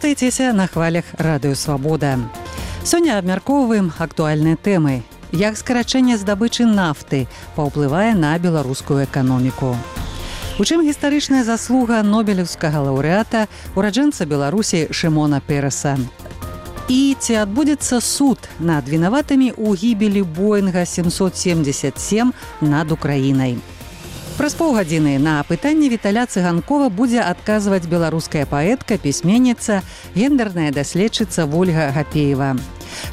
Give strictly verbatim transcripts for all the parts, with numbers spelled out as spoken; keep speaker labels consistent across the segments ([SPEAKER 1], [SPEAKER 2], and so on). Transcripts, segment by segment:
[SPEAKER 1] Вяртайцеся на хвалях радыё Свабода. Сёння абмяркоўваем актуальныя тэмы. Як скарачэнне здабычы нафты паўплывае на беларускую эканоміку. У чым гістарычная заслуга нобелеўскага лаўрэата, ураджэнца Беларусі Шымона Пераса. І ці адбудзецца суд над вінаватымі ў гібелі Боінга сямсот семьдесят сем над Украінай. Праз паўгадзіны на пытанне Віталя Цыганкова будзе адказваць беларуская паэтка, пісьменніца, гендерная даследчыца Вольга Гапеева.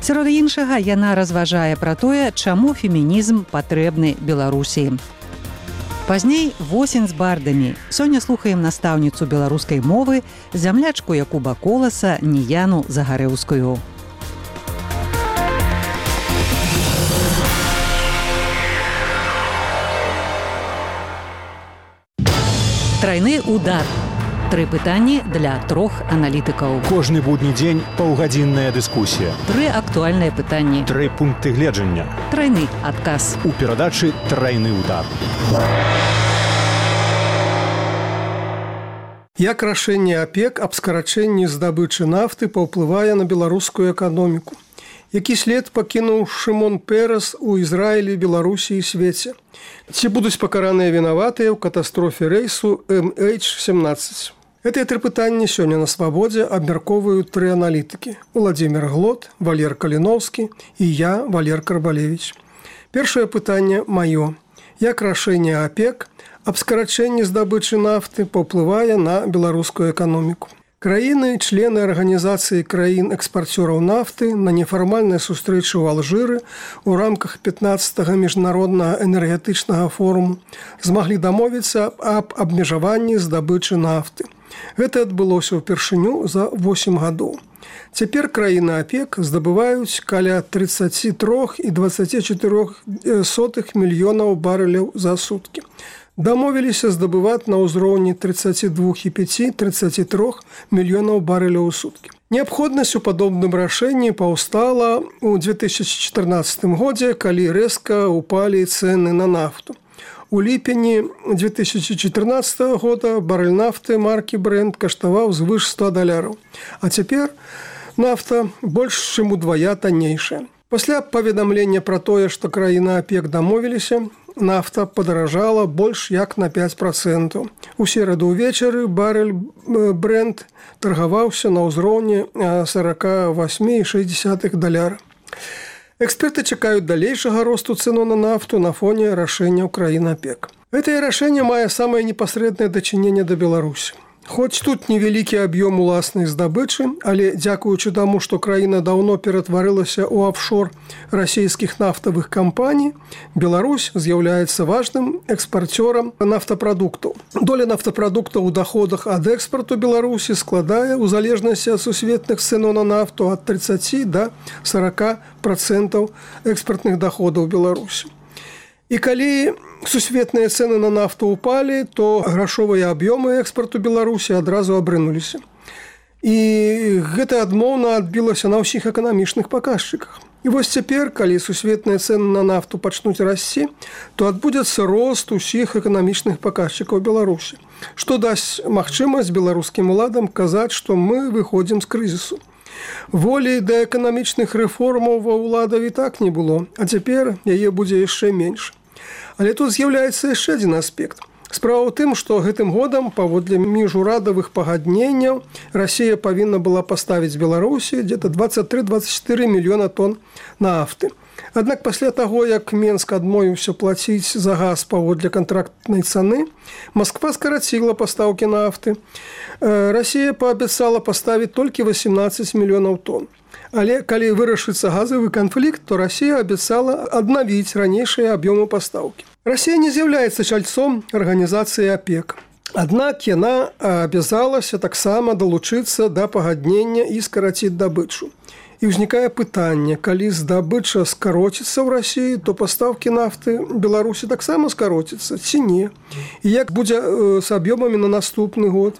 [SPEAKER 1] Сярод іншага, яна разважае пра тое, чаму фемінізм патрэбны Беларусі. Пазней восень з бардамі. Сёння слухаем настаўніцу беларускай мовы, зямлячку Якуба Коласа Ніяну Загарэўскую. Трайны удар. Тры пытанні для трох аналітыкаў.
[SPEAKER 2] Кожны будні дзень паўгадзінная дыскусія.
[SPEAKER 1] Тры актуальныя пытанні.
[SPEAKER 2] Тры пункты гледжання.
[SPEAKER 1] Трайны адказ.
[SPEAKER 2] У перадачы «Трайны удар».
[SPEAKER 3] Як рашэнне ОПЕК аб скарачэнні здабычы нафты паўплывае на беларускую эканоміку? Які след пакінуў Шымон Перас у Ізраілі, Беларусі і свеце? Ці будуць пакараныя вінаватыя ў катастрофе рэйсу эм эйч семнаццаць? Гэтыя тры пытанні сёння на Свабодзе абмяркоўваюць тры аналітыкі. Уладзімір Глот, Валер Каліноўскі і я, Валер Карбалевіч. Першае пытанне маё. Як рашэнне ОПЕК аб скарачэнні здабычы нафты паўплывае на беларускую эканоміку? Краіны, члены арганізацыі краін-экспарцёраў нафты на нефармальнай сустрэчы ў Алжыры ў рамках пятнаццатага міжнароднага энергетычнага форуму змаглі дамовіцца аб абмежаванні здабычы нафты. Гэта адбылося ўпершыню за восем гадоў. Цяпер краіны ОПЕК здабываюць каля тридцать три і двадцать четыре сотых мільёнаў барэляў за суткі. Дамовіліся здабываць на ўзроўні тридцать два і пять - тридцать три мільёнаў барэляў у суткі. Неабходнасць у падобным рашэнні паўстала ў две тысячи чатырнаццатым годзе, калі рэзка ўпалі цэны на нафту. У ліпені две тысячи чатырнаццатага года барэль нафты маркі Brent каштаваў звыш ста даляраў, а цяпер нафта больш чым удвая таннейшая. Пасля паведамлення пра тое, што краіны ОПЕК дамовіліся, нафта падаражала больш як на пять процентаў. У сераду ўвечары барэль Brent таргаваўся на ўзроўні сорок восемь і шэсць дзесятых даляра. Эксперты чакаюць далейшага росту цэну на нафту на фоне рашэнняў краін ОПЕК. Гэтае рашэнне мае самае непасрэднае дачыненне да Беларусі. Хоць тут невялікі аб'ём уласнай здабычы, але дзякуючы таму, што краіна даўно ператварылася ў афшор расійскіх нафтавых кампаній, Беларусь з'яўляецца важным экспарцёрам нафтапрадуктаў. Доля нафтапрадуктаў у даходах ад экспарту Беларусі складае ў залежнасці ад сусветных цэнаў на нафту ад тридцати до сорока процентаў экспартных даходаў Беларусі. І калі сусветныя цэны на нафту ўпалі, то грашовыя аб'ёмы экспарту Беларусі адразу абрынуліся. І гэта адмоўна адбілася на ўсіх эканамічных паказчыках. І вось цяпер, калі сусветныя цэны на нафту пачнуць расці, то адбудзецца рост усіх эканамічных паказчыкаў Беларусі, што дасць магчымасць беларускім уладам казаць, што мы выходзім з крызісу. Волі да эканамічных рэформаў ва ўладаў і так не было, а цяпер яе будзе яшчэ менш. Але тут з'яўляецца яшчэ адзін аспект. Справа ў тым, што гэтым годам, паводле міжурадавых пагадненняў, Расія павінна была паставіць Беларусі дзе-то двадцать три - двадцать четыре мільёна тонн нафты. Аднак пасля таго, як Менск адмовіўся плаціць за газ паводле кантрактнай цаны, Масква скараціла пастаўкі нафты. Расія паабяцала паставіць толькі восемнадцать мільёнаў тонн. Але калі вырашыцца газавы канфлікт, то Расія абяцала аднавіць ранейшыя аб'ёмы пастаўкі. Расія не з'яўляецца чальцом арганізацыі ОПЕК. Аднак яна абязалася таксама далучыцца да пагаднення і скараціць дабычу. І ўзнікае пытанне, калі здабыча скароціцца ў Расіі, то пастаўкі нафты Беларусі таксама скароціцца ці не? І як будзе з аб'ёмамі на наступны год?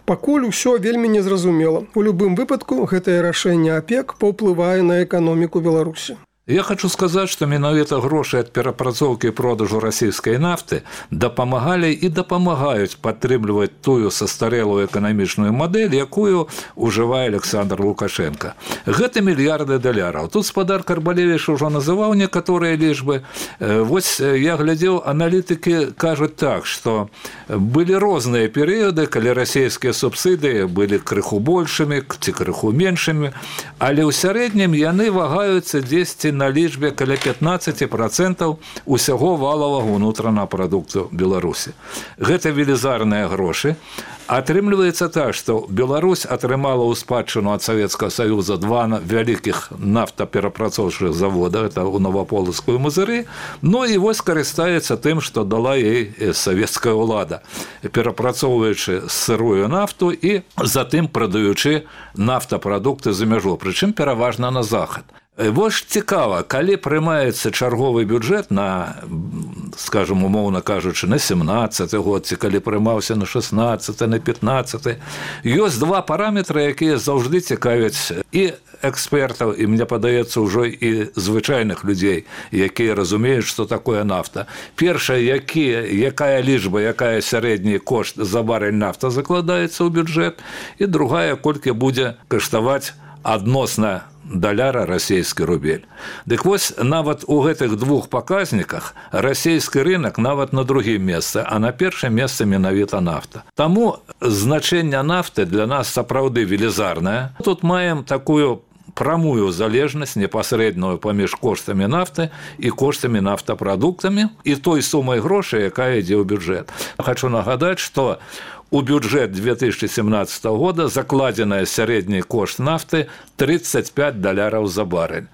[SPEAKER 3] Пакуль усё вельмі незразумела. У любым выпадку гэтае рашэнне ОПЕК паўплывае на эканоміку Беларусі.
[SPEAKER 4] Я хочу сказаць, што менавіта грошы ад перапрацоўкі і продажу расійскай нафты дапамагалі і дапамагаюць падтрымліваць тую састарэлую эканамічную мадэль, якую ўжывае Александр Лукашенко. Гэта мільярды даляраў. Тут спадар Карбалевіч ужо называў некаторыя лічбы. Вось я глядзеў, аналітыкі кажуць так, што былі розныя перыяды, калі расійскія субсідыі былі крыху большымі ці крыху меншымі, але ў сярэднім яны вагаюцца дзесьці на лічбе каля пятнаццаць працэнтаў усяго валавага ўнутранага прадукту Беларусі. Гэта велізарныя грошы. Атрымліваецца так, што Беларусь атрымала ў спадчыну ад Савецкага Саюза два вялікіх нафтаперапрацоўчых завода, это ў Новаполацку і Мазыры, ну і вось карыстаецца тым, што дала ей савецкая ўлада, перапрацоўваючы сырую нафту і затым прадаючы нафтапрадукты за мяжу, прычым пераважна на захад. Вось цікава, калі прымаецца чарговы бюджэт на, скажем, умоўна кажучы, на семнаццаты год, ці калі прымаўся на шэснаццаты, на пятнаццаты, ёсць два параметры, якія заўжды цікавяць і экспертаў, і мне падаецца ўжо і звычайных людзей, якія разумеюць, што такое нафта. Першае, які, якая лічба, якая сярэдні кошт за барэль нафта закладаецца ў бюджэт, і другая, колькі будзе каштаваць адносна даляра расійскі рубель. Дык вось нават у гэтых двух паказніках расійскі рынок нават на другім месцы, а на першым месцы менавіта нафта. Таму значэнне нафты для нас сапраўды велізарнае. Тут маем такую прамую залежнасць непасрэдную паміж коштамі нафты і коштамі нафтапрадуктамі і той сумай грошай, якая ідзе ў бюджэт. Хочу нагадаць, што у бюджет две тысячи семнадцатого года закладзеная сярэдні кошт нафты тридцать пять даляраў за барэль.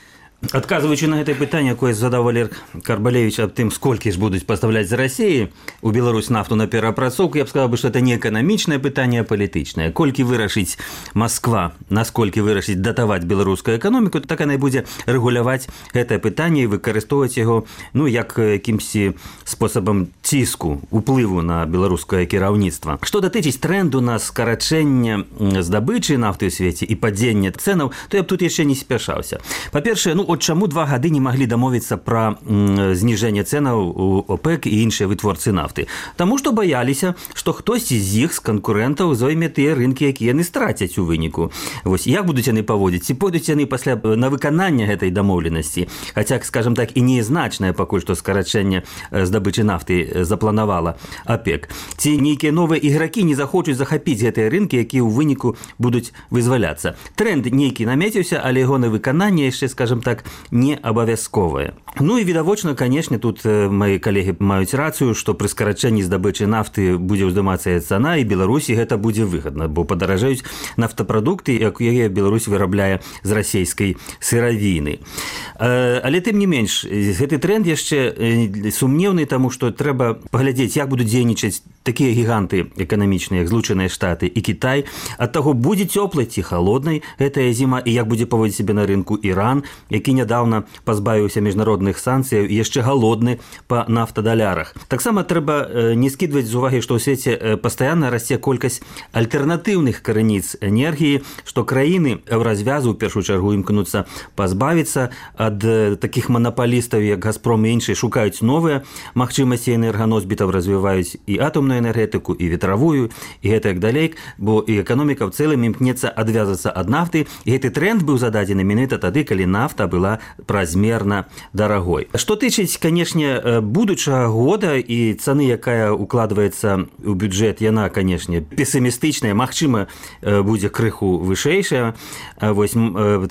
[SPEAKER 5] Адказваючы на гэтае пытанне, якое задаў Валер Карбалевіч аб тым, сколькі ж будуць пастаўляць з Расіі у Беларусь нафту на перапрацоўку, я б сказаў бы, што это не эканамічнае пытанне, а палітычнае. Колькі вырашыць Масква, насколькі вырашыць датаваць беларускую эканоміку, так яна і будзе рэгуляваць гэтае пытанне і выкарыстоўваць яго, ну, як якімсьці спосабам ціску, уплыву на беларускае кіраўніцтва. Што датычыць трэнду на скарачэнне здабычы нафты ў свеце і падзення цэнаў, то я б тут яшчэ не спяшаўся. Па-першае, ну, от чаму два гады не маглі дамовіцца пра зніжэнне цэнаў у ОПЕК і іншыя вытворцы нафты? Таму што баяліся, што хтосьці з іх, з канкурэнтаў, зойме тыя рынкі, якія яны страцяць у выніку. Вось як будуць яны паводзіць? Ці пойдуць яны пасля на выкананне гэтай дамоўленасці? Хаця, скажам так, і незначнае пакуль што скарачэнне здабычы нафты запланавала ОПЕК. Ці нейкія новыя ігракі не захочуць захапіць гэтыя рынкі, якія ў выніку будуць вызваляцца? Тренд нейкі намеціўся, але яго на выкананне яшчэ, скажам так, не абавязковае. Ну і відавочна, канешне, тут мои калегі маюць рацыю, што пры скарачэнні здабычы нафты будзе ўздымацца цана, і Беларусі гэта будзе выгадна, бо падаражаюць нафтапрадукты, якія Беларусь вырабляе з расійскай сыравіны. Але тым не менш, гэты тренд яшчэ сумнеўны, таму што трэба паглядзець, як будуць дзейнічаць такія гіганты эканамічныя, як Злучаныя Штаты і Кітай. Ад таго, будзе цёплай ці халоднай гэтая зіма, і як будзе паводзіць сябе на рынку Іран, які нядаўна пазбавіўся міжнародных санкцыяў, яшчэ галодны па нафтадалярах. Таксама трэба не скідваць з увагі, што ў свеце пастаянна расце колькасць альтэрнатыўных крыніц энергіі, што краіны еўразвязу ў першую чаргу імкнуцца пазбавіцца ад такіх манапалістаў, як Газпром і іншыя, шукаюць новыя магчымасці энерганосьбітаў, развіваюць і атомную энергетыку, і ветравую, і гэтак далей, бо і эканоміка ў цэлым імкнецца адвязацца ад нафты, і гэты тренд быў зададзены менавіта тады, калі нафта была празмерна дарагой. Што тычыць, канешне, будучага года і цаны, якая укладваецца ў бюджэт, яна, канешне, песімістычная, магчыма, будзе крыху вышэйшая. Вось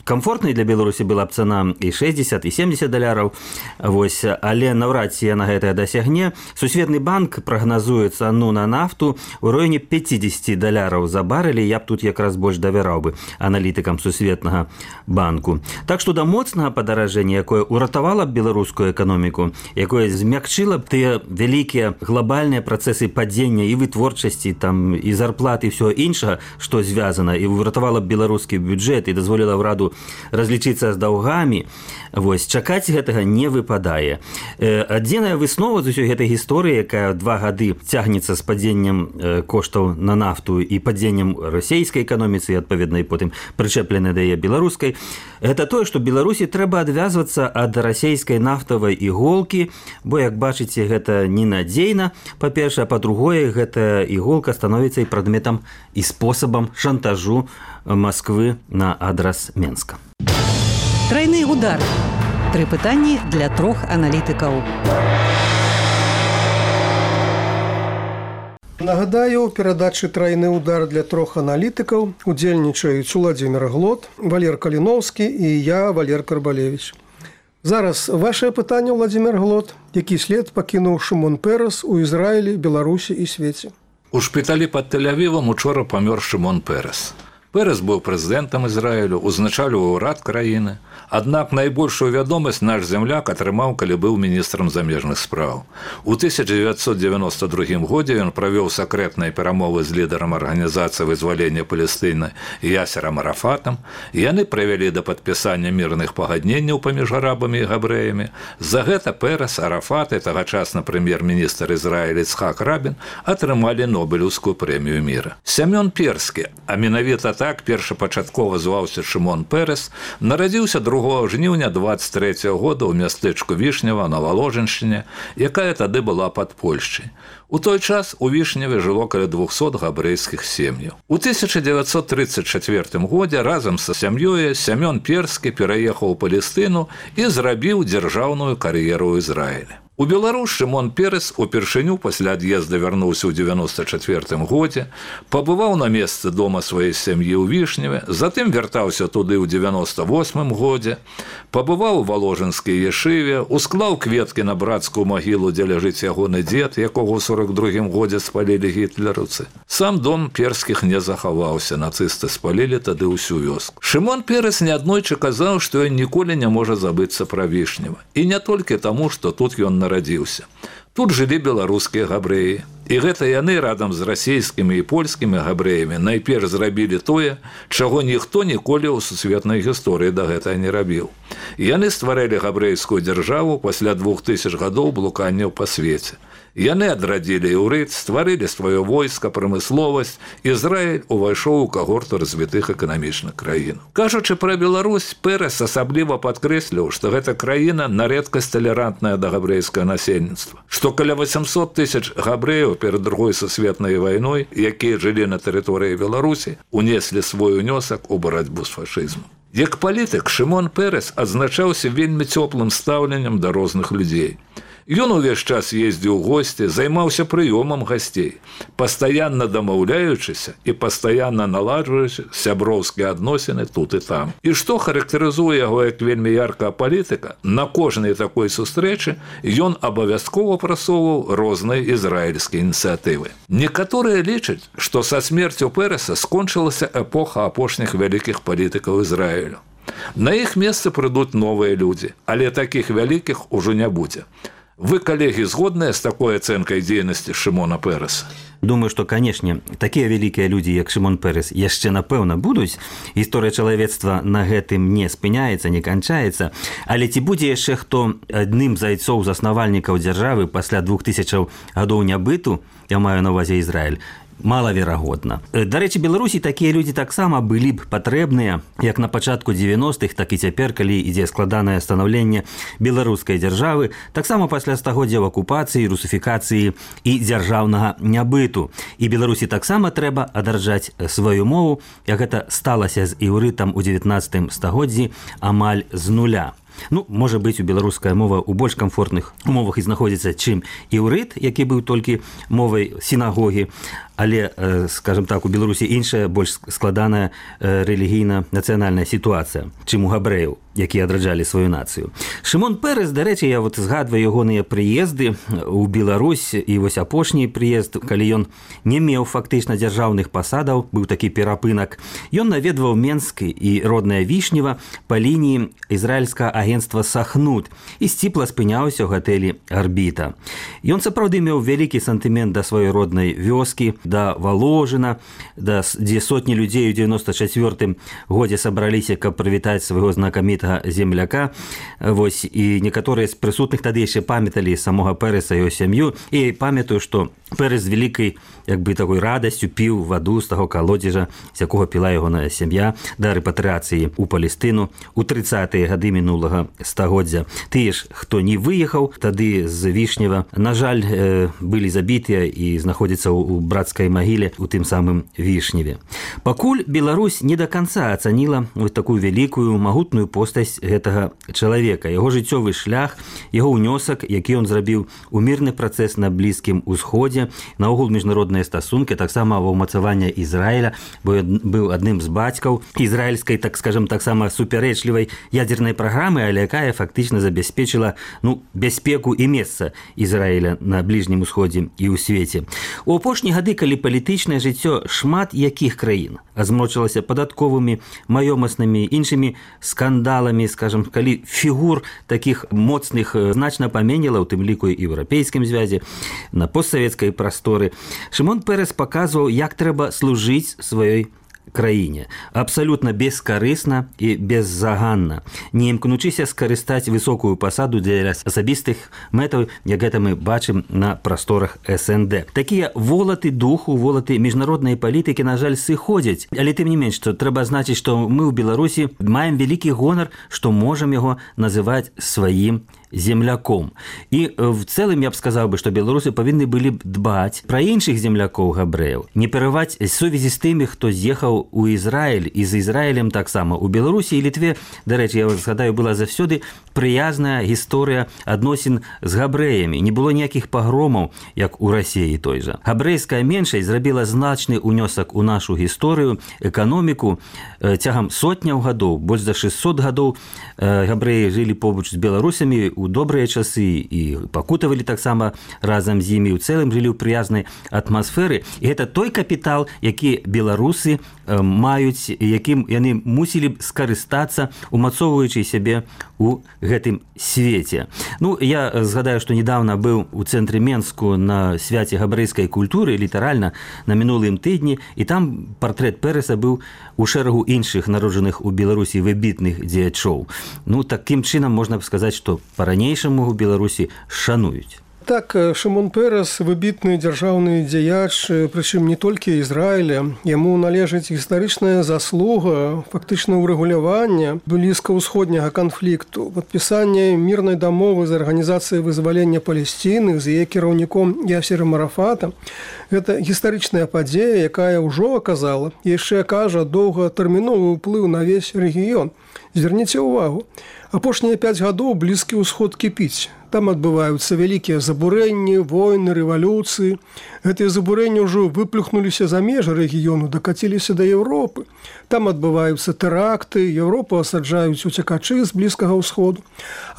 [SPEAKER 5] камфортнай для Беларусі была б цана і шэсцьдзесят, і семдзесят даляраў. Вось, але наўрад ці яна гэтая дасягне. Сусветны банк прагназуе цану на нафту ў районе пятьдесят даляраў за барэль. Я б тут якраз больш давяраў бы аналітыкам сусветнага банку. Так што да моцнага падаражэння, якое уратавала б беларускую эканоміку, якое змякчыла б тыя вялікія глобальныя працэсы падзення і вытворчасці, там, і зарплаты, і ўсё іншага, што звязана, і уратавала б беларускі бюджэт і дазволіла ўраду разлічыцца з даўгамі, вось, чакаць гэтага не выпадае. Адзіная выснова з усёй гэтай гісторыі, якая два гады цягнецца з падзеннем коштаў на нафту і падзеннем расійскай эканоміцы, і, адпаведна, і потым прычэпленай да яе беларускай, гэта тое, што Беларусі трэба адвязвацца ад расійскай нафтавай іголкі, бо, як бачыце, гэта ненадзейна. Па-першае, а па-другое, гэта іголка становіцца і прадметам і спосабам шантажу Масквы на адрас Менска.
[SPEAKER 1] Трайны удар. Тры пытанні для трох аналітыкаў.
[SPEAKER 3] Нагадаю, у перадачы «Трайны удар» для трох аналітыкаў удзельнічаюць Уладзімір Глот, Валер Каліноўскі і я, Валер Карбалевіч. Зараз вашае пытанне, Уладзімір Глот. Які след пакінуў Шымон Пэрэс у Ізраілі, Беларусі і свеце?
[SPEAKER 4] У шпіталі пад Тель-Авівам учора памёр Шымон Пэрэс. Пэрэс быў прэзідэнтам Ізраілю, узначальваў урад краіны. Аднак найбольшую вядомасць наш земляк атрымаў, калі быў міністрам замежных спраў. У тысяча дзевяцьсот дзевяноста другім годзе ён правёў сакрэтныя перамовы з лідарам арганізацыі вызвалення Палестыны Ясерам Арафатам. Яны прывялі да падпісання мірных пагадненняў паміж арабамі і габрэямі. За гэта Пэрэс, Арафат і тагачасны прэм'ер-міністр Ізраіля Іцхак Рабін атрымалі Нобелеўскую прэмію міра. Сямён Перскі, а менавіта так першапачаткова зваўся Шымон Пэрэс, нарадзіўся другога жніўня дваццаць трэцяга года ў мястэчку Вішнева на Валожыншчыне, якая тады была пад Польшчай. У той час у Вішневе жыло каля двухсот габрэйскіх сем'яў. У тысяча дзевяцьсот трыццаць чацвёртым годзе разам са сям'ёй Сямён Перскі пераехаў у Палестыну і зрабіў дзяржаўную кар'еру ў Ізраілі. У Беларусь Шымон Пэрэс упершыню пасля ад'езда вярнуўся ў дзевяноста чацвёртым годзе, пабываў на месцы дома сваёй сям'і ў Вішневе, затым вяртаўся туды ў дзевяноста восьмым годзе, пабываў у Валожынскай ешыве, усклаў кветкі на брацкую магілу, дзе ляжыць ягоны дзед, якога ў сорок другім годзе спалілі гітлераўцы. Сам дом Перскіх не захаваўся, нацысты спалілі тады ўсю вёску. Шымон Пэрэс неаднойчы казаў, што ён ніколі не можа забыцца пра Вішнева. І не толькі таму, што тут ён нарадзіўся. Тут жылі беларускія габрэі. І гэта яны радам з расійскімі і польскімі габрэямі найперш зрабілі тое, чаго ніхто ніколі ў сусветнай гісторыі да гэтага не рабіў. Яны стварылі габрэйскую дзяржаву пасля двух тысяч гадоў блуканняў па свеце. Яны адрадзілі іўрыт, стварылі сваё войска, прамысловасць. Ізраіль увайшоў у кагорту развітых эканамічных краін. Кажучы пра Беларусь, Пэрэс асабліва падкрэсліў, што гэта краіна на рэдкасць талерантная да габрэйскага насельніцтва, што каля восемьсот тысяч габрэяў перад другой сусветнай вайной, якія жылі на тэрыторыі Беларусі, унеслі свой унёсак у барацьбу з фашызмам. Як палітык, Шымон Пэрэс адзначаўся вельмі цёплым стаўленнем да розных людзей. Ён увесь час ездзіў у госці, займаўся прыёмам гасцей, пастаянна дамаўляючыся і пастаянна наладжваючы сяброўскія адносіны тут і там. І што характарызуе яго як вельмі яркага палітыка, на кожнай такой сустрэчы ён абавязкова прасоўваў розныя ізраільскія ініцыятывы. Некаторыя лічаць, што са смерцю Пэрэса скончылася эпоха апошніх вялікіх палітыкаў Ізраілю. На іх месцы прыйдуць новыя людзі, але такіх вялікіх ужо не будзе. Вы, коллеги, згодныя з такой ацэнкай дзейнасці Шымона Пэрэса?
[SPEAKER 5] Думаю, што, канешне, такія вялікія людзі, як Шымон Пэрэс, яшчэ, напэўна, будуць. Гісторыя чалавецтва на гэтым не спыняецца, не канчаецца. Але ці будзе яшчэ хто адным з айцоў заснавальнікаў дзяржавы пасля двух тысячаў гадоў нябыту, я маю на ўвазе Ізраіль, малаверагодна. Дарэчы, Беларусі такія людзі таксама былі б патрэбныя, як на пачатку дзевяностых, так і цяпер, калі ідзе складанае станаўленне беларускай дзяржавы, таксама пасля стагоддзяў акупацыі, русіфікацыі і дзяржаўнага нябыту. І Беларусі таксама трэба адаржаць сваю мову, як гэта сталася з іўрытам у дзевятнаццатым стагоддзі амаль з нуля. Ну, можа быць, у беларуская мова ў больш камфортных умовах і знаходзіцца, чым іўрыт, які быў толькі мовай сінагогі, але, скажем так, у Беларусі іншая, больш складаная рэлігійна-нацыянальная сітуацыя, чым у габрэяў, якія адраджалі сваю нацыю. Шымон Пэрэс, дарэчы, я вот згадваю ягоныя прыезды ў Беларусь, і вось апошні прыезд, калі ён не меў фактычна дзяржаўных пасадаў, быў такі перапынак, ён наведваў Менск і роднае Вішнева па лініі ізраільскага агенцтва Сахнут і сціпла спыняўся ў гатэлі Арбіта. Ён сапраўды меў вялікі сантымент да сваёй роднай вёскі, да Валожына, да, дзе сотні людзей у дзевяноста чацвёртым годзе сабраліся, каб прывітаць свайго знакамітага гэтага земляка. Вось, і некаторыя з прысутных тады яшчэ памяталі самога Пэрэса і яго сям'ю. І памятаю, што Пэрэс з вялікай як бы такой радасцю піў ваду з таго калодзежа, з якога піла ягоная сям'я да рэпатрыяцыі ў Палестыну у трыццатыя гады мінулага стагоддзя. Тыя ж, хто не выехаў тады з Вішнева, на жаль, былі забітыя і знаходзяцца ў брацкай магіле у тым самым Вішневе. Пакуль Беларусь не да канца ацаніла вось такую вялікую магутную постаць гэтага чалавека, яго жыццёвы шлях, яго ўнёсак, які ён зрабіў у мірны працэс на Блізкім Усходзе, наогул міжнародныя стасункі, таксама ва ўмацаванне Ізраіля, бо быў адным з бацькаў ізраільскай, так скажам, таксама супярэчлівай ядзернай праграмы, але якая фактычна забяспечыла ну, бяспеку і месца Ізраіля на Бліжнім Усходзе і ў свеце. У апошнія гады, калі палітычнае жыццё шмат якіх краін азмрочылася падатковымі, маёмаснымі, іншымі скандаламі, скажам, калі фігур такіх моцных значна паменела, у тым ліку і еўрапейскім звязе, на постсавецкай прасторы, Шымон Пэрэс паказваў, як трэба служыць сваёй краіне. Абсалютна бескарысна і беззаганна, не імкнучыся скарыстаць высокую пасаду для асабістых мэтаў, як гэта мы бачым на прасторах эс эн дэ. Такія волаты духу, волаты міжнароднай палітыкі, на жаль, сыходзяць, але тым не менш, што трэба значыць, што мы ў Беларусі маем вялікі гонар, што можам яго называць сваім земляком. І в цэлым я б сказаў бы, што беларусы павінны былі б дбаць пра іншых землякоў габрэяў, не пераваць сувязі з тымі, хто з'ехаў у Ізраіль, і з Ізраілем таксама. У Беларусі і Літве, дарэчы, я згадаю, была заўсёды прыязная гісторыя адносін з габрэямі. Не было ніякіх пагромаў, як у Расіі той жа. Габрэйская меншасць зрабіла значны ўнёсак у нашу гісторыю, эканоміку. Цягам сотняў гадоў, больш за шэсцьсот гадоў габрэі жылі побач з беларусамі у добрыя часы і пакутавалі таксама разам з імі, у цэлым жылі ў прыязнай атмасферы. І гэта той капітал, які беларусы маюць, якім яны мусілі б скарыстацца, умацоўваючы сябе у гэтым свеце. Ну, я згадаю, што недавно быў у цэнтры Менску на свяце габрэйскай культуры, літаральна на мінулым тыдні, і там партрэт Пэрэса быў у шэрагу іншых народжаных у Беларусі выбітных дзеячоў. Ну, такім чынам можна б сказаць, што па-ранейшаму ў Беларусі шануюць.
[SPEAKER 3] Так, Шымон Пэрэс выбітны дзяржаўны дзеяч, прычым не толькі Ізраіля. Яму належыць гістарычная заслуга, фактычна ўрэгулявання блізкаўсходняга канфлікту, падпісанне мірнай дамовы з арганізацыяй вызвалення Палесціны, з яе кіраўніком Ясерам Арафатам. Гэта гістарычная падзея, якая ўжо аказала, яшчэ кажа, доўгатэрміновы ўплыў на ўвесь рэгіён. Звярніце ўвагу, апошнія пяць гадоў Блізкі ўсход кіпіць. Там адбываюцца вялікія забурэнні, войны, рэвалюцыі. Гэтыя забурэнні ўжо выплюхнуліся за межы рэгіёну, дакаціліся да Еўропы. Там адбываюцца тэракты, Еўропу асаджаюць уцекачы з Блізкага ўсходу.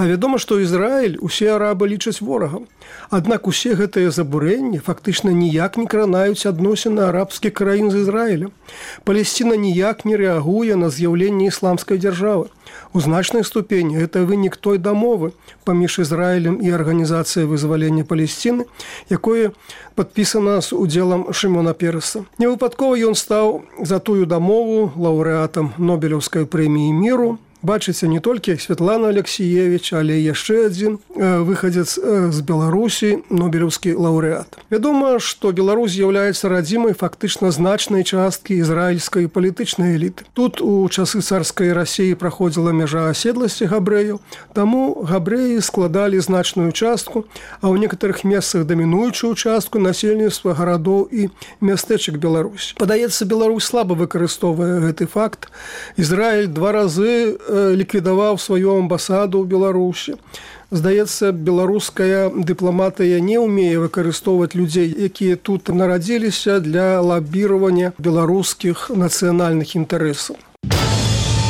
[SPEAKER 3] А вядома, што Ізраіль усе арабы лічаць ворагам. Аднак усе гэтыя забурэнні фактычна ніяк не кранаюць адносіны арабскіх краін з Ізраілем. Палесціна ніяк не рэагуе на з'яўленне ісламскай дзяржавы. У значнай ступені гэта вынік той дамовы паміж Ізраілем і арганізацыяй вызвалення Палесціны, якое падпісана з удзелам Шымона Пэрэса. Невыпадкова ён стаў за тую дамову лаўрэатам Нобелеўскай прэміі міру. Бачыце, не толькі Святлана Алексіевіч, але яшчэ адзін выхадзец з Беларусі, нобелеўскі лаўрэат. Вядома, што Беларусь з'яўляецца радзімай фактычна значнай часткі ізраільскай палітычнай эліты. Тут у часы царскай Расіі праходзіла мяжа аседласці габрэяў, таму габрэі складалі значную частку, а ў некаторых месцах дамінуючую частку насельніцтва гарадоў і мястэчак Беларусі. Падаецца, Беларусь слаба выкарыстоўвае гэты факт. Ізраіль два разы ліквідаваў сваю амбасаду ў Беларусі. Здаецца, беларуская дыпламатыя не ўмее выкарыстоўваць людзей, якія тут нарадзіліся для лабіравання беларускіх нацыянальных інтарэсаў.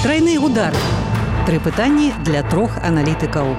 [SPEAKER 1] Трайны удар. Тры пытанні для трох аналітыкаў.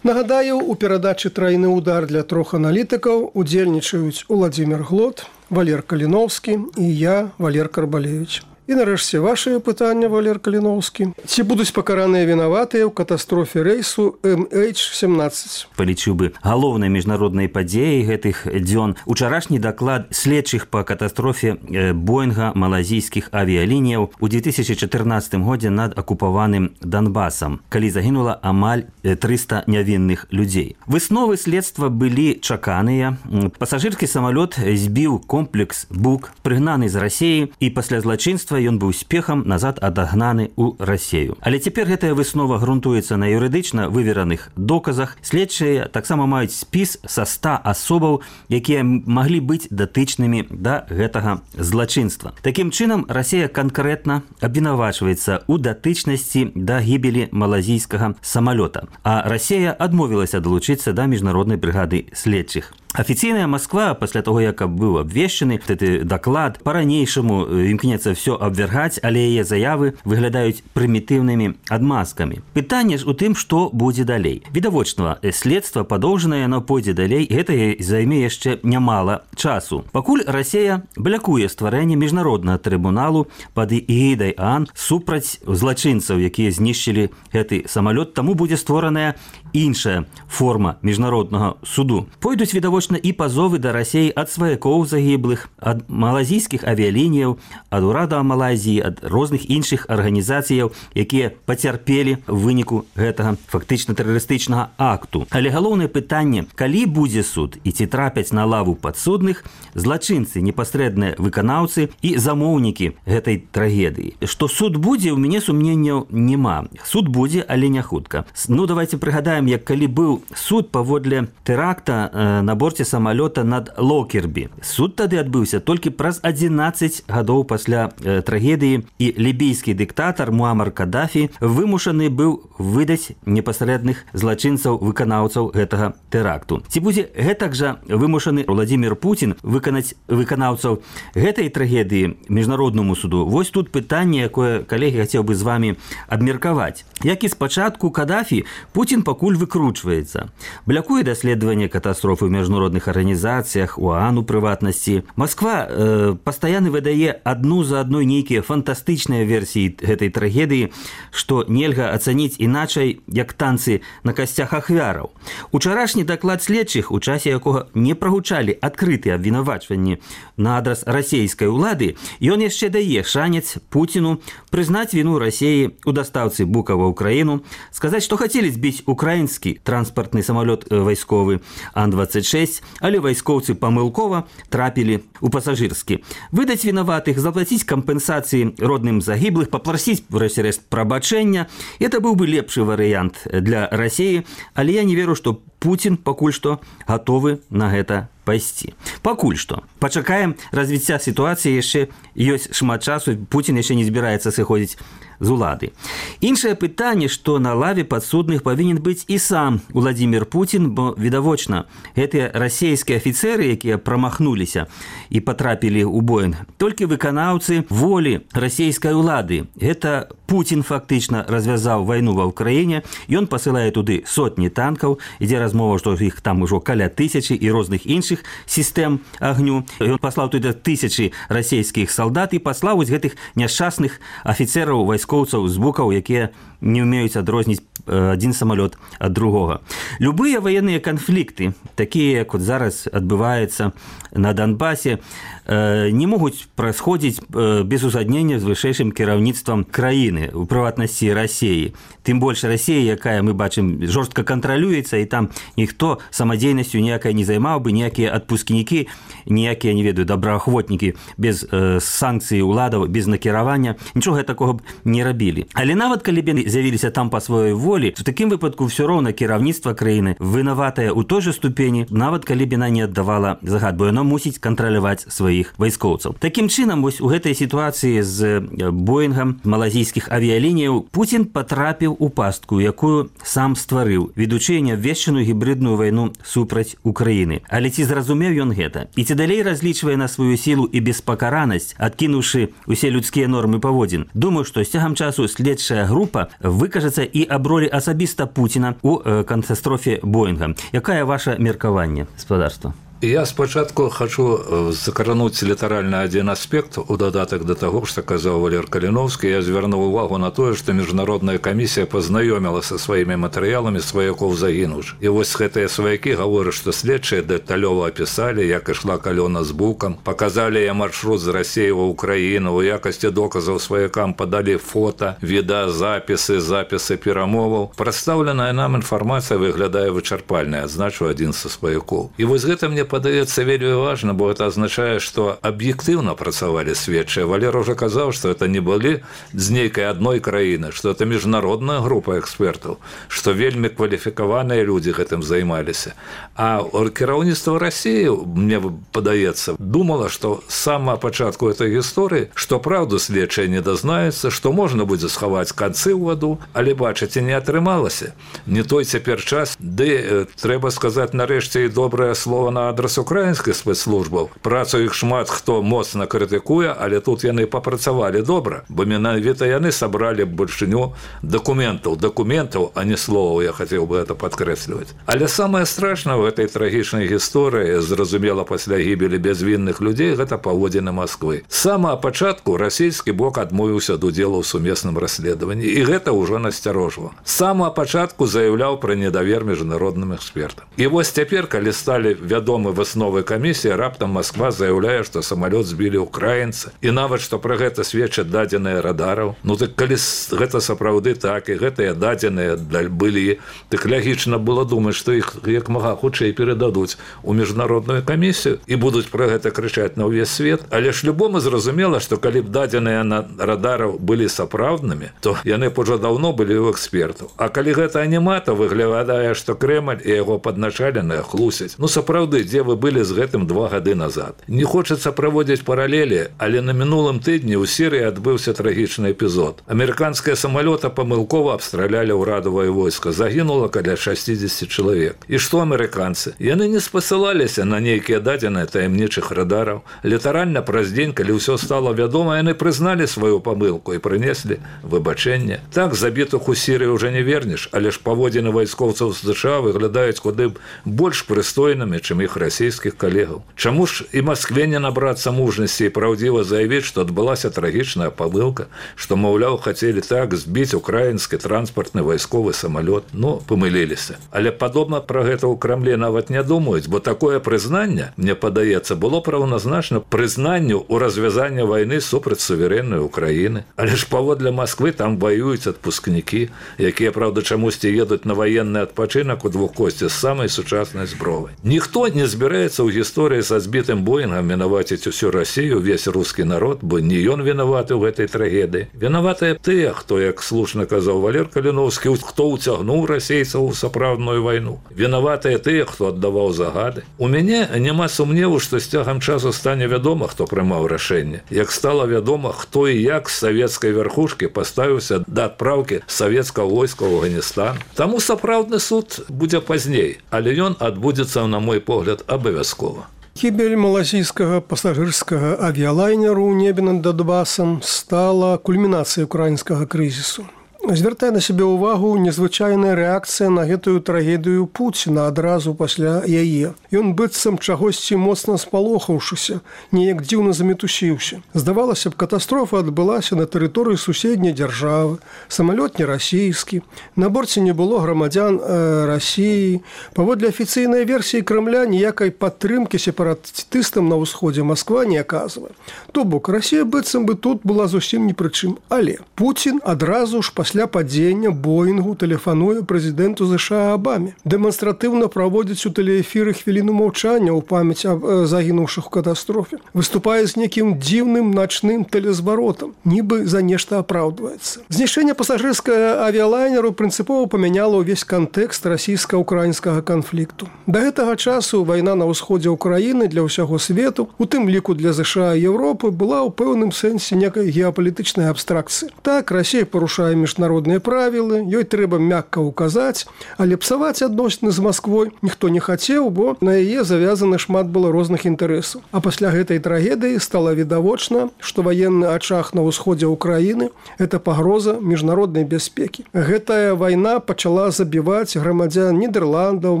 [SPEAKER 3] Нагадаю, у перадачы «Трайны удар» для трох аналітыкаў удзельнічаюць Уладзімір Глот, Валер Каліноўскі і я, Валер Карбалевіч. І нарэшце вашае пытанне, Валер Каліноўскі. Ці будуць пакараныя вінаватыя ў катастрофе рэйсу эм эйч семнаццаць?
[SPEAKER 5] Палічыў бы галоўнай міжнароднай падзеяй гэтых дзён учарашні даклад следчых па катастрофе Боинга малазійскіх авіялініяў у две тысячи чатырнаццатым годзе над акупаваным Донбасам, калі загінула амаль трыста нявінных людзей. Высновы следства былі чаканыя. Пасажырскі самалёт збіў комплекс Бук, прыгнаны з Расіі, і пасля злачынства ён быў спехам назад адагнаны ў Расею. Але цяпер гэтая выснова грунтуецца на юрыдычна вывераных доказах. Следчыя таксама маюць спіс са ста асобаў, якія маглі быць датычнымі да гэтага злачынства. Такім чынам, Расея канкрэтна абвінавачваецца ў датычнасці да гібелі малазійскага самалёта, а Расея адмовілася далучыцца да міжнароднай брыгады следчых. Афіцыйная Москва, пасля того, як быў абвешчаны гэты даклад, па-ранейшаму імкнецца ўсё абвяргаць, але яе заявы выглядаюць прымітыўнымі адмазкамі. Пытанне ж у тым, што будзе далей. Відавочна, следства падоўжанае, яно пойдзе далей, гэта займе яшчэ нямала часу. Пакуль Расея блякуе стварэнне міжнароднага трыбуналу пад эгідай ООН супраць злачынцаў, якія знішчылі гэты самалёт, таму будзе створаная іншая форма міжнароднага суду. Пойдуць відавочна і пазовы да Расеі ад сваякоў загіблых, ад малазійскіх авіялініяў, ад урада Малайзіі, ад розных іншых арганізацыяў, якія пацярпелі ў выніку гэтага фактычна тэрарыстычнага акту. Але галоўнае пытанне, калі будзе суд і ці трапяць на лаву падсудных злачынцы, непасрэдныя выканаўцы і замоўнікі гэтай трагедыі. Што суд будзе, у мяне сумненняў няма. Суд будзе, але не хутка. Ну, давайте прыгадаем, як калі быў суд паводле тэракта э, на борце самалёта над Локербі. Суд тады адбыўся толькі праз адзінаццаць гадоў пасля э, трагедыі, і лібійскі дыктатар Муамар Кадафі вымушаны быў выдаць непасрэдных злачынцаў выканаўцаў гэтага тэракту. Ці будзе гэтак жа вымушаны Владзімір Путін выканаць выканаўцаў гэтай трагедыі міжнароднаму суду? Вось тут пытанне, якое, калегі, хацеў бы з вами абмеркаваць. Як і спачатку Кадафі, Путін пакуль выкручваецца. Блякуе даследаванне катастрофы ў міжнародных арганізацыях, у ООН у прыватнасці. Москва э, пастаянна выдае адну за адной нейкія фантастычныя версіі гэтай трагедыі, што нельга ацаніць іначай, як танцы на касцях ахвяраў. Учарашні даклад следчых, у часе якога не прагучалі адкрытыя абвінавачванні на адрас расейскай улады, ён яшчэ дае шанец Путіну прызнаць віну Расеі у дастаўцы Бука ва Ўкраіну, сказаць, што хацелі збіць украінскі транспартны самалёт вайсковы Ан двадцать шесть, але вайскоўцы памылкова трапілі ў пасажырскі. Выдаць вінаватых, заплаціць кампенсацыі родным загіблых, папрасіць врэшце-рэшт прабачэння. Это быў бы лепшы варыянт для Расеі, але я не веру, што Путін пакуль што гатовы на гэта пайсці. Пакуль што. Пачакаем развіцця сітуацыі, яшчэ ёсць шмат часу, Путін яшчэ не збіраецца сыходзіць з улады. Іншае пытанне, што на лаве падсудных павінен быць і сам Владзімір Путін, бо відавочна, гэтыя расейскія афіцэры, якія прамахнуліся і патрапілі ў Боінг, толькі выканаўцы волі расейскай улады. Гэта Путін фактычна развязаў вайну ва Ўкраіне, ён пасылае туды сотні танкаў, ідзе размова, што іх там ужо каля тысячы і розных іншых сістэм агню. Ён паслаў туды тысячы расейскіх салдат і паслаў вось гэтых няшчасных афіцэраў вайскоўцаў з букаў, якія не ўмеюць адрозніць адзін самалёт ад другога. Любыя ваенныя канфлікты, такія, як вот зараз адбываецца на Донбасе, не могуць прасходзіць без узгаднення з вышэйшым кіраўніцтвам краіны, у прыватнасці Расеі. Тым больш Расея, якая, мы бачым, жорстка кантралюецца, і там ніхто самадзейнасцю ніякай не займаў бы, ніякія адпускнікі, ніякія, не ведаю, добраахвотнікі без э, санкцыі ўладаў, без накіравання, нічога такога б не рабілі. Але нават калі б з'явіліся там па сваёй волі, в такім выпадку ўсё роўна кіраўніцтва краіны вінаватае ў той жа ступені, нават калі б яна не аддавала загад, бо яно мусіць кантраляваць сваіх вайскоўцаў. Такім чынам, вось у гэтай сітуацыі з Боінгам малазійскіх авіялініяў Путін патрапіў у пастку, якую сам стварыў, ведучы неабвешчаную гібридную вайну супраць Украіны. Але ці зразумеў ён гэта? І ці далей разлічвае на сваю сілу і беспакаранасць, адкінуўшы усе людскія нормы паводзін? Думаю, што з цягам часу следчая група выкажацца і аб ролі асабіста Путіна у катастрофе Боінга. Якае ваше меркаванне, спадарства?
[SPEAKER 4] Я спачатку хочу закрануць літаральна адзін аспект у дадатак да таго, што казаў Валер Каліновскі. Я звярнуў увагу на тое, што міжнародная камісія пазнаёміла са сваімі матэрыяламі сваякоў загінуўшых. І вось гэтыя сваякі гавораць, што следчыя дэталёва апісалі, як ішла калёна з букам, паказалі я маршрут з Расіі ва Ўкраіну, у якасці доказаў сваякам падалі фота, відэазапісы, запісы перамоваў. Прадстаўленая нам інфармацыя выглядае вычарпальнай, адзначыў адзін са сваякоў. І вось гэта мне падаецца вельмі важна, бо это азначае, што аб'ектыўна працавалі следчыя. Валер уже казаў, што это не былі з нейкай адной краіны, што это міжнародная група экспертаў, што вельмі кваліфікаваныя людзі гэтым займаліся. А кіраўніцтва Расіі, мне падаецца, думала, што з самага пачатку этой гісторыі, што праўду следчыя не дазнаюцца, што можна будзе схаваць канцы ў ваду, але бачыце, не атрымалася. Не той цяпер час, ды трэба сказаць нарэшце і добрае слово на адрас украінскіх спецслужбаў. Працу іх шмат хто моцна крытыкуе, але тут яны папрацавалі добра, бо менавіта яны сабралі большыню дакументаў, дакументаў, а не словаў, я хацеў бы это падкрэсліваць. Але самае страшнае ў гэтай трагічнай гісторыі, зразумела пасля гібелі бязвінных людзей, гэта паводзіны Масквы. З самага пачатку расійскі бок адмовіўся ад удзелу ў сумесным расследаванні, і гэта ўжо насцярожвала. З самага пачатку заяўляў пра недавер міжнародным экспертам. І вось цяпер, калі сталі вядомы высновы камісіі, раптам Масква заяўляе, што самалёт збілі ўкраінцы, і нават што пра гэта сведчаць дадзеныя радараў. Ну так калі гэта сапраўды так, і гэтыя дадзеныя былі, так лягічна было думаць, што іх як мага хутчэй перададуць у міжнародную камісію і будуць пра гэта крычаць на ўвесь свет. Але ж любому зразумела, што калі б дадзеныя на радараў былі сапраўднымі, то яны б ужо даўно былі ў экспертаў. А калі гэта няма, то выглядае, што Крэмль і яго падначаленыя хлусяць. Ну сапраўды, дзе вы былі з гэтым два гады назад. Не хочацца праводзіць паралелі, але на мінулым тыдні ў Сірыі адбыўся трагічны эпізод. Амерыканскія самалёты памылкова абстралялі ўрадавае войска. Загінула каля шэсцьдзесят чалавек. І што амерыканцы? Яны не спасылаліся на нейкія дадзеныя таямнічых радараў. Літаральна праз дзень, калі ўсё стала вядома, яны прызналі сваю памылку і прынеслі выбачэнне. Так, забітых у Сірыі ўжо не вернеш, але ж паводзіны вайскоўцаў з США выглядаюць куды больш прыстойнымі, чым іх расійскіх калегаў. Чаму ж і Маскве не набрацца мужнасці і праўдзіва заявіць, што адбылася трагічная памылка, што, маўляў, хацелі так збіць украінскі транспартны вайсковы самалёт? Ну, памыліліся. Але падобна пра гэта ў Крамлі нават не думаюць, бо такое прызнанне, мне падаецца, было праўназначна прызнанню ў развязанні вайны супраць суверэннай Украіны. Але ж паводле Масквы там ваююць адпускнікі, якія, праўда, чамусьці едуць на ваенны адпачынак у двухкосці з самай сучаснай збровай. Ніхто не збіраецца ў гісторыі са збітым Боінгам вінаваціць усю Расію, увесь рускі народ, бо не ён вінаваты ў гэтай трагедыі. Вінаватыя тыя, хто, як слушна казаў Валер Каліновскі, хто ўцягнуў расейцаў у сапраўдную вайну. Вінаватыя тыя, хто аддаваў загады. У мяне няма сумневу, што з цягам часу стане вядома, хто прымаў рашэнне. Як стала вядома, хто і як з савецкай вярхушкі паставіўся да адпраўкі савецкага войска ў Афганістан. Таму сапраўдны суд будзе пазней, але ён адбудзецца, на мой погляд, абавязкова.
[SPEAKER 3] Гібель малазійскага пасажырскага авіялайнеру ў небе над Донбасам стала кульмінацыяй украінскага крызісу. Звяртае на сябе ўвагу незвычайная рэакцыя на гэтую трагедыю Пуціна адразу пасля яе. Ён быццам чагосьці моцна спалохаўшыся, неяк дзіўна замітусіўся. Здавалася б, катастрофа адбылася на тэрыторыі суседняй дзяржавы, самалёт не расійскі, на борце не было грамадзян э, Расіі. Паводле афіцыйнай версіі Крамля ніякай падтрымкі сепаратыстам на ўсходзе Масква не аказвае. То бок, Расія быццам бы тут была зусім ні пры чым. Але Пуцін адразу ж пасля Пасля падзення Боінгу тэлефануе прэзідэнту ЗША Абаме. Дэманстратыўна праводзіць у тэлеэфіры хвіліну маўчання ў памяць аб загінуўшых у катастрофе. Выступае з некім дзіўным начным тэлезваротам, нібы за нешта апраўдваецца. Знішчэнне пасажырскага авіялайнеру прынцыпова памяняла ўвесь кантэкст расійска-украінскага канфлікту. Да гэтага часу вайна на ўсходзе ўкраіны для ўсяго свету, у тым ліку для ЗША і Еўропы, была ў пэўным сэнсе некай геапалітычнай абстракцыі. Так, Расія парушае міжнародныя міжнародныя правілы, ёй трэба мякка ўказаць, але псаваць адносіны з Масквой ніхто не хацеў, бо на яе завязаны шмат было розных інтарэсаў. А пасля гэтай трагедыі стала відавочна, што ваенны ачаг на ўсходзе ўкраіны – это пагроза міжнароднай бяспекі. Гэтая вайна пачала забіваць грамадзян Нідерландаў,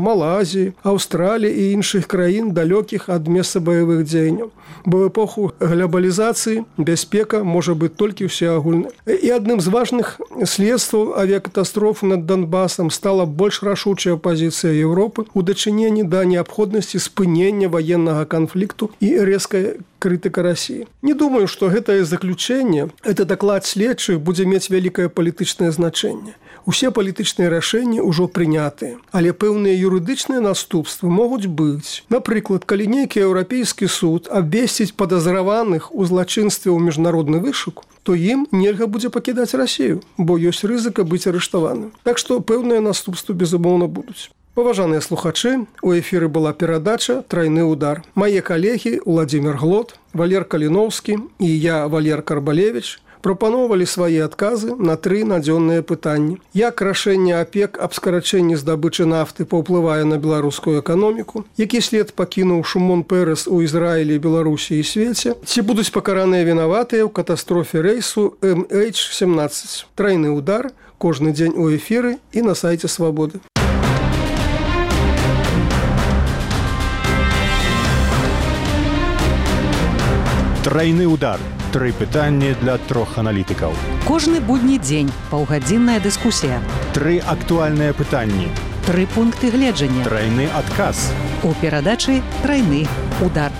[SPEAKER 3] Малайзіі, Аўстраліі і іншых краін, далёкіх ад месца баявых дзеянняў. Бо в эпоху глобалізацыі бяспека можа быць толькі ўсеагульнай. І адным з важных следстваў авіякатастрофы над Донбасам стала больш рашучая пазіцыя Еўропы ў дачыненні да неабходнасці спынення ваеннага канфлікту і рэзкая крытыка России. Не думаю, што гэтае заключэнне, это даклад следчых будзе мець вялікае палітычнае значэнне. Усе палітычныя рашэнні ўжо прынятыя, але пэўныя юрыдычныя наступствы могуць быць. Напрыклад, калі нейкі еўрапейскі суд абвесціць падазраваных у злачынстве ў міжнародны вышук, то ім нельга будзе пакідаць Расію, бо ёсць рызыка быць арыштаваным. Так што пэўныя наступствы, безумоўна, будуць. Паважаныя слухачы, у эфіры была перадача «Трайны удар». Мае калегі Владзімір Глот, Валер Каліноўскі і я, Валер Карбалевіч, прапаноўвалі свае адказы на тры надзённыя пытанні. Як рашэнне АПЕК аб скарачэнні здабычы нафты паўплывае на беларускую эканоміку? Які след пакінуў Шымон Пэрэс у Ізраілі, Беларусі і свеце? Ці будуць пакараныя вінаватыя ў катастрофе рэйсу эм эйч семнаццаць? Трайны удар кожны дзень у эфіры і на сайце Свабоды.
[SPEAKER 2] Трайны удар. Тры пытанні для трох аналітыкаў.
[SPEAKER 1] Кожны будні дзень паўгадзінная дыскусія.
[SPEAKER 2] Тры актуальныя пытанні.
[SPEAKER 1] Тры пункты гледжання.
[SPEAKER 2] Трайны адказ.
[SPEAKER 1] У перадачы «Трайны удар».